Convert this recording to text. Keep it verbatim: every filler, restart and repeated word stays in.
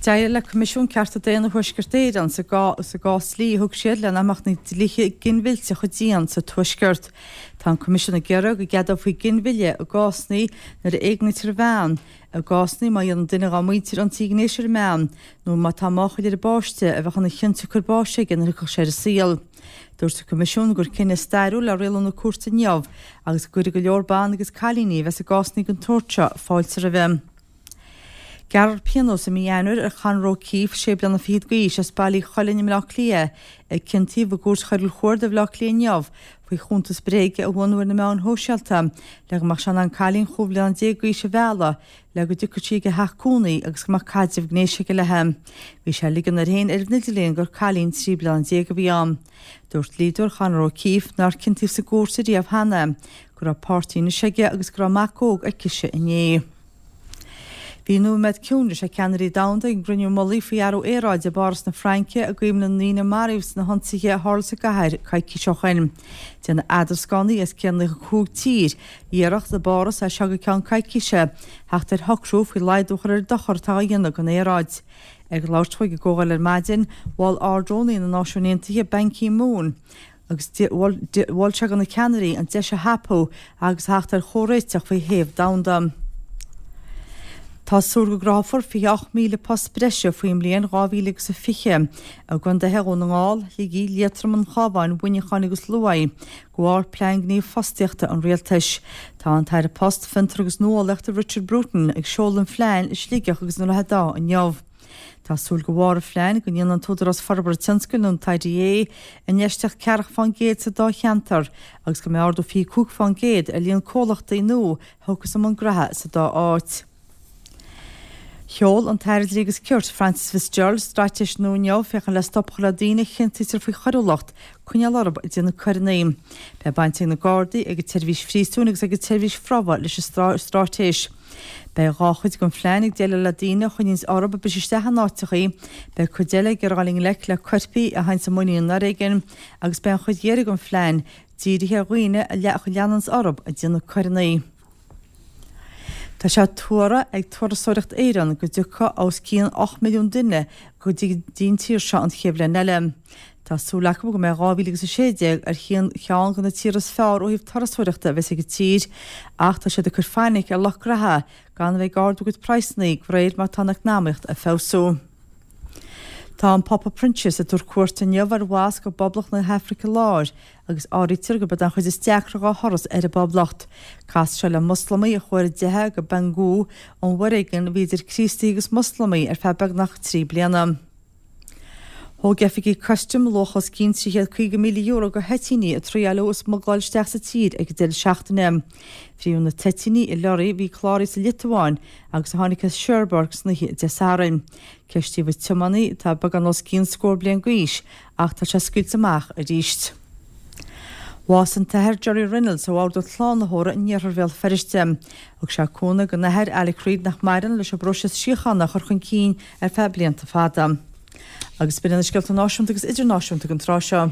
D'éirigh le Coimisiún Cearta Daonna Thuaisceart Éireann sa gcás dlí a thug siad le nach mbeadh na dlíthe ginmhillte chomh dian sa Tuaisceart. Tá an Coimisiún ag iarraidh go gceadófaí ginmhilleadh i gcásanna nuair a éignítear bean, i gcásanna má dhéanann duine dá muintir ionsaí gnéis ar an mbean, nó má tá máchail ar an bpáiste a bheadh ina chionsiocair báis aige nuair a thiocfadh sé ar an saol. Dúirt an Coimisiún gur cinneadh stairiúil é rialú na cúirte inniu agus go gcuirfidh go leor ban agus cailíní a bheas i gcásanna den tsórt seo fáilte roimhe. Gearrfar pionós i mí Eanáir ar Chonor O'Keefe, sé bliana fichead d'aois, as Baile Uí Choileáin i mBleá Cliath, a ciontaíodh i gCúirt Choiriúil Chuarda Bhaile Átha Cliath inniu faoi chuntas bréige a bhunú ar na meáin shóisialta le go mbeadh sé in ann cailín chúig bhliana déag d'aois a mhealladh le go dtiocfadh sí ag a theach cónaí agus go mbeadh caidreamh gnéis aige léi. Bhí sé ag ligean air féin ar an idirlíon gur cailín trí bliana déag a bhí ann. Dúirt dlíodóir Chonor O'Keefe, nár ciontaíodh sa gcúirt riamh cheana, go raibh páirtí anois aige agus go raibh mac óg aicise inné. Bhí nóiméad ciúnais ag ceannairí domhanda ag an gcruinniú mullaigh faoi athrú aeráide i bPáras na Fraince i gcuimhne na ndaoine a maraíodh sna hionsaithe a tharla sa gcathair coicís ó shin. Déanfaidh eadrascánaí as céad nócha cúig tír iarracht i bPáras as seo go ceann coicíse theacht ar shocrú faoi laghdú a chur ar an dochar atá á dhéanamh don aeráid. Ag labhairt dó ag an gcomhdháil ar maidin, mhol Ard-Rúnaí na Náisiún Aontaithe Ban Ki-moon, agus mhol sé do na ceannairí an deis a thapú agus theacht ar chomhréiteach faoi théamh domhanda. Tá súil go gcruthófar fiche ocht míle post breise faoin mbliain dhá mhíle agus a fiche i gcontaetha Dhún na nGall, Shligigh, Liatroim, an Chabháin, Mhuineacháin agus Lú de bharr Plean Gnímh Fostaíochta an Rialtais. Tá an tAire Post, Fiontar agus Nuálaíochta Richard Bruton ag seoladh an phlean i Sligeach agus i nDroichead Átha inniu. Tá súil de bharr an phlean go ndéanfaidh an tÚdarás Forbartha Tionscail nó an tIDA infheistíocht ceathracha fán gcéad sa dá cheantar agus go mbeidh ardú fiche cúig fán gcéad ar líon comhlachtaí nua a thiocfas i mbun graithe sa dá áit. Sheol an tAire Dlí agus Cirt, Frances Fitzgerald, straitéis nua inniu féachaint le stop a chur le daoine a chiontaítear faoi choiriúlacht, coinneáil orthu ag déanamh coireanna. Beidh baint ag na Gardaí, ag an tSeirbhís Phríosúin agus ag an tSeirbhís Phromhaidh leis an straitéis. Beidh dhá chuid den phlean ag déileáil le daoine a choinníonns orthu ag briseadh isteach in áiteachaí, beidh cuid eile ag iarraidh dul i ngleic le coirpigh a théanns i muinín an fhoréigin agus beidh an chuid dheiridh den phlean dírithe ar dhaoine a leananns orthu ag déanamh coireanna. Tá sé tuartha ag Turasóireacht Éireann go dtiocfaidh os cionn ocht milliún duine go dtí an tír seo an chéad bhliain eile. Tá súil acu go mbeidh dhá mhíle agus a sé déag ar cheann de na tíortha is fearr ó thaobh turasóireachta a bheas ag an tír, ach tá siad ag cur fainic ar lucht graithe gan a bheith ag ardú a gcuid praghsanna de réir mar atá an eacnamaíocht ag feabhsú. Tá an Pápa Proinsias ag tabhairt cuairte inniu ar mhosc i bPoblacht na hAfraice Láir agus áirítear gurb é an chuid is deacra dá thuras ar an bPoblacht. Casfaidh sé le Moslamaigh a chuaigh ar a dteitheadh go Bangui ón bhforéigean a bhí idir Críostaithe agus Moslamaigh ar feadh beagnach trí bliana. Thóg oifigigh custaim luach os cionn trí chéad caoga míle euro de thoitíní a triaileadh a smuigleáil isteach sa tír ag an deireadh seachtaine. Frítheadh na toitíní i lorraí a bhí cláraithe sa Liotuáin agus a tháinig as Cherbourg san oíche Dé Sathairn. Ceistíodh an tiománaí, atá beagán os cionn scór bliain d'aois, ach tá sé scaoilte amach arís. Bhásaigh an tAthair Gerry Reynolds ó Bhord an tSlánaitheora in iarthar Bhéal Feirste. Thug sé cúnamh don Athair Alec Reid nach maireann leis an bpróiseas síochána a chur chun cinn ar feadh blianta fada. Agus b'in iad na scéalta náisiúnta agus idirnáisiúnta don tráth seo.